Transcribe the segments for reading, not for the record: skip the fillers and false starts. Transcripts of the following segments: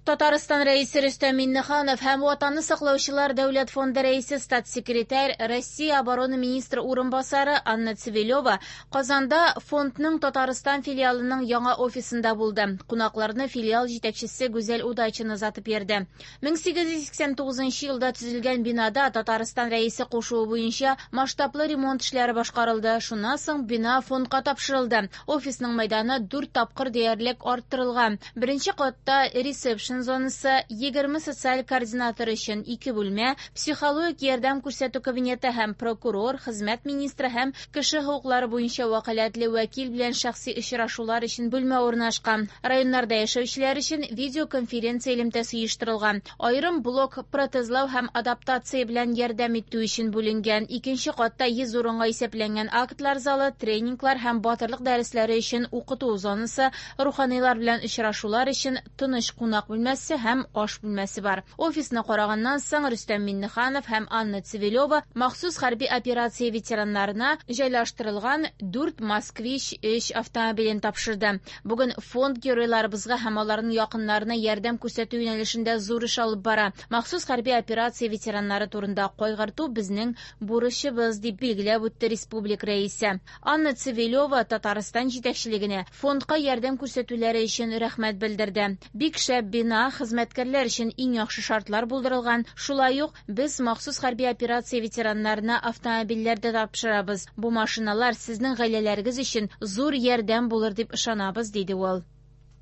Татарстан Рәисе Рөстәм Миңнеханов һәм Ватанны саклаучылар дәүләт фонды рәисе статс-секретарь Россия оборона министры урынбасары Анна Цивилева Казанда фондның Татарстан филиалының яңа офисында булды. Кунакларны филиал җитәкчесе Гүзәл Удачина озатып йөрде. 1889 елда төзелгән бинада Татарстан Рәисе кушуы буенча масштаблы ремонт эшләре башкарылды. Шуннан соң бина фондка тапшырылды. Офисның мәйданы 4 тапкыр диярлек арттырылган. Беренче катта ресепшн зонасы, 20 социаль координатор өчен 2 бүлмә, психологик ярдәм күрсәтү кабинеты һәм прокурор, хезмәт министры һәм кеше хокуклары буенча вәкаләтле вәкил белән шәхси очрашулар өчен бүлмә урнашкан. Районнарда яшәүчеләр өчен видеоконференция элемтәсе оештырылган. Аерым блок протезлау һәм адаптация белән ярдәм итү өчен бүленгән. Икенче катта 100 урынга исәпләнгән актлар залы, тренинглар һәм батырлык дәресләре өчен укыту зонасы, руханилар белән очрашулар өчен тыныч кунак бүлмәсе һәм аш бүлмәсе бар. Офисны караганнан соң Рөстәм Миңнеханов һәм Анна Цивилева махсус хәрби операция ветераннарына җайлаштырылган 4 Москвич 3 автомобилен тапшырды. Бүген фонд геройларыбызга һәм аларның якыннарына ярдәм күрсәтү юнәлешендә зур эш алып бара. Махсус хәрби операция ветераннары турында кайгырту безнең бурычыбыз, дип билгеләп үтте республика рәисе. Анна Цивилева Татарстан җитәкчелегенә фондка ярдәм күрсәтүләре өчен рәхмәт белдерде. Бик шәп бина, хезмәткәрләр өчен иң яхшы шартлар булдырылган. Шулай ук без махсус хәрби операция ветераннарына автомобильләр дә тапшырабыз. Бу машиналар сезнең гаиләләрегез өчен зур ярдәм булыр дип ышанабыз, диде ул.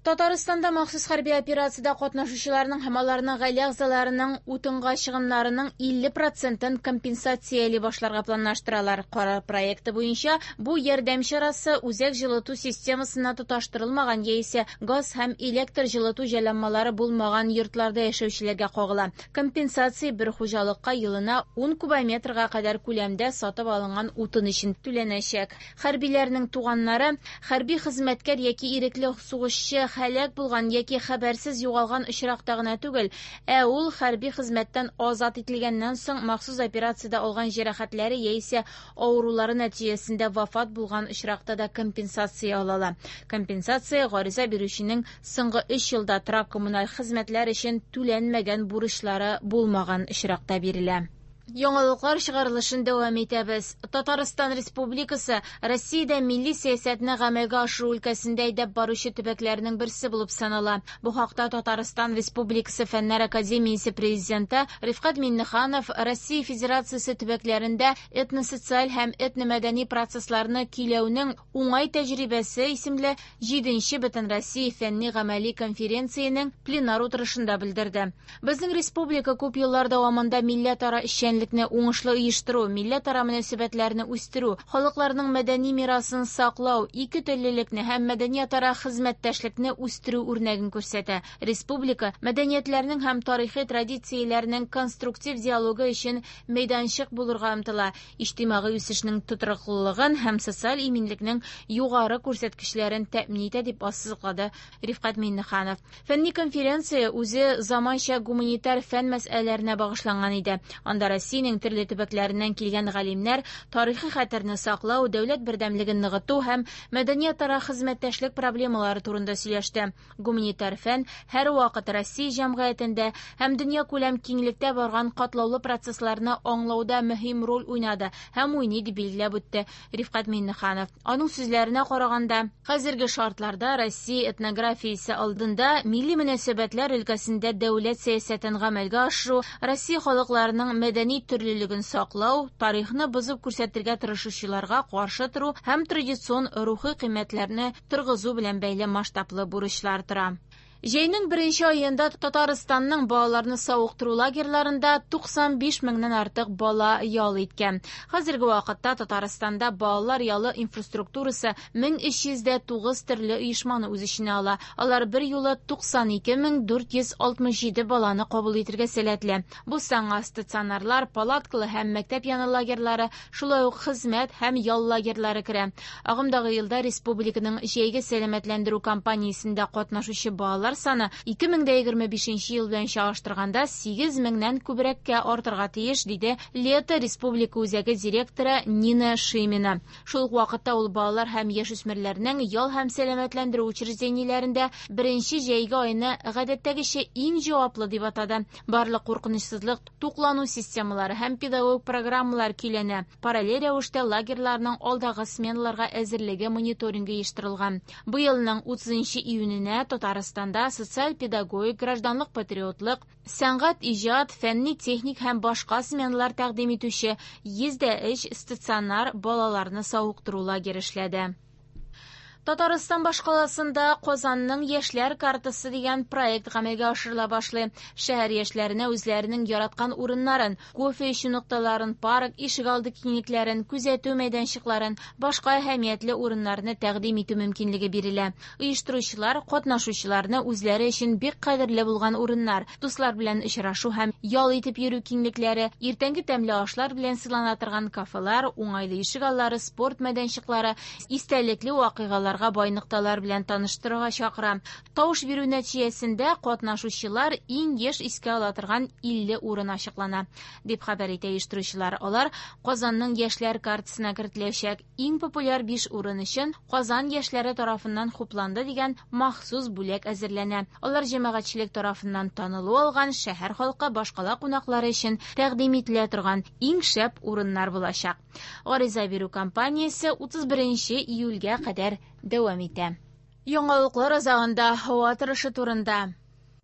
Татарстанда махсус хәрби операциядә катнашучыларның һәм аларның гаилә әгъзаларының утынга чыгымнарының 50%-ын компенсацияли башларга планлаштыралар. Карар проекты буенча бу ярдәм чарасы үзәк җылыту системасына тоташтырылмаган яисә газ һәм электр җылыту җайланмалары булмаган йортларда яшәүчеләргә кагыла. Компенсация бер хуҗалыкка елына 10 кубометрга кадәр күләмдә сатып алынган утын өчен түләнәчәк. Хәрбиләрнең туганнары хәрби хезмәткәр яки ирекле сугышчы һәлак булган яки хәбәрсез югалган очракта гына түгел, ә ул хәрби хезмәттән азат ителгәннән соң махсус операциядә алган җәрәхәтләре яисә авырулары нәтиҗәсендә вафат булган очракта да компенсация ала ала. Компенсация гариза бирүченең соңгы 3 елда торак коммуналь хезмәтләр өчен түләнмәгән бурычлары булмаган очракта бирелә. Яңалыклар чыгарылышын дәвам итәбез. Татарстан Республикасы Россиядә милли сәясәтне гамәлгә ашыру өлкәсендә әйдәп баручы төбәкләрнең берсе булып санала. Бу хакта Татарстан Республикасы Фәннәр академиясе президенты Рифкать Миңнеханов Россия Федерациясе төбәкләрендә этносоциаль һәм этномәдәни процессларны көйләүнең уңай тәҗрибәсе исемле 7-нче Бөтенроссия фәнни гамәли конференциянең пленар утырышында белдерде. Безнең республика күп еллар дәвамында милләтара эшчәнлекне уңышлы оештыру, милләтара мөнәсәбәтләрне үстерү, халыкларның мәдәни мирасын саклау, ике теллелекне һәм мәдәниятара хезмәттәшлекне үстерү үрнәген күрсәтә. Республика мәдәниятләрнең һәм тарихи традицияләрнең конструктив диалогы өчен мәйданчык булырга омтыла. Иҗтимагый үсешнең тотрыклылыгын һәм социаль иминлекнең югары күрсәткечләрен тәэмин итә, дип ассызыклады Рифкать Миңнеханов. Фәнни конференция үзе заманча гуманитар фән мәсьәләләренә багышланган иде. Анда Россиянең төрле төбәкләреннән килгән галимнәр тарихи хәтерне саклау, дәүләт бердәмлеген ныгыту һәм мәдәниятара хезмәттәшлек проблемалары турында сөйләште. Гуманитар фән һәрвакыт Россия җәмгыятендә һәм дөньякүләм киңлектә барган катлаулы процессларны аңлауда мөһим роль уйнады һәм уйный, дип билгеләп үтте Рифкать Миңнеханов. Аның сүзләренә караганда, хәзерге шартларда Россия этнографиясе алдында милли мөнәсәбәтләр өлкәсендә дәүләт сәясәтен гамәлгә ашыру, Россия халыкларының мәдәни төрлелеген саклау, тарихны бозып күрсәтергә тырышучыларга каршы тору һәм традицион рухи кыйммәтләрне торгызу белән бәйле масштаблы бурычлар тора. Җәйнең беренче аенда Татарстанның балаларны савыктыру лагерьларында 95 меңнән артык бала ял иткән. Хәзерге вакытта Татарстанда балалар ялы инфраструктурасы 1309 төрле оешманы үз эченә ала. Алар бер юлы 92467 баланы кабул итергә сәләтле. Бу санга стационарлар, палаткалы һәм мәктәп яны лагерьлары, шулай ук хезмәт һәм ял лагерьлары керә. Агымдагы елда республиканың җәйге сәламәтләндерү кампаниясендә катнашучы балалар катнашучылар саны 2025 ел белән чагыштырганда 8 меңнән күбрәккә артырга тиеш, диде Лето республика үзәге директоры Нина Шимина. Шул ук вакытта ул балалар һәм яшүсмерләрнең ял һәм сәламәтләндерү учреждениеләрендә беренче җәйге айны гадәттәгечә иң җаваплы дип атады. Барлык куркынычсызлык, туклану системалары һәм педагогик программалар көйләнә. Параллель рәвештә лагерьларның алдагы сменаларга әзерлеге мониторингы оештырылган. Быелның 30 июненә Татарстанда социаль-педагогик, гражданлык-патриотлык, сәнгать, иҗат, фәнни-техник һәм башка сменалар тәкъдим итүче 103 стационар балаларны савыктыру лагере эшләде. Татарстан башкаласында Казанның яшьләр картасы дигән проект гамәлгә ашырыла башлый. Шәһәр яшьләренә үзләренең яраткан урыннарын, кофе эчү нокталарын, парк, ишегалды киңлекләрен, күзәтү мәйданчыкларын, башка әһәмиятле урыннарны тәкъдим итү мөмкинлеге бирелә. Оештыручылар катнашучыларны үзләре өчен бик кадерле булган урыннар, дуслар белән очрашу һәм ял итеп йөрү киңлекләре, иртәнге тәмле ашлар белән сыйлана торган кафелар, уңайлы ишегаллары, спорт мәйданчыклары, истәлекле вакыйгаларга бай нокталар белән таныштырырга чакыра. Тавыш бирү нәтиҗәсендә катнашучылар иң еш искә ала торган 50 урын ачыклана, дип хәбәр итә оештыручылар. Алар Казанның яшьләр картасына кертеләчәк. Иң популяр 5 урын өчен Казан яшьләре тарафыннан хупланды дигән махсус бүләк әзерләнә. Алар җәмәгатьчелек тарафыннан танылу алган шәһәр халкы, башкала кунаклары өчен тәкъдим ителә торган иң шәп урыннар булачак. Гариза бирү кампаниясе 31 июльгә кадәр дәвам итә. Яңалыклар азагында һава торышы турында.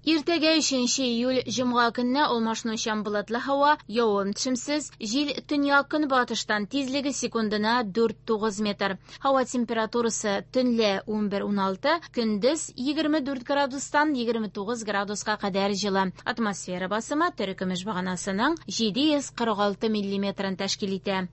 Иртәгә 3 июль җомга көнне алмашынучан болытлы һава, явым-төшемсез, җил төньяк көнбатыштан, тизлеге секундына 4-9 метр. Һава температурасы төнлә 11-16, көндез 24 градустан 29 градуска кадәр җылы. Атмосфера басымы терекөмеш баганасының 746 миллиметрын тәшкил итә.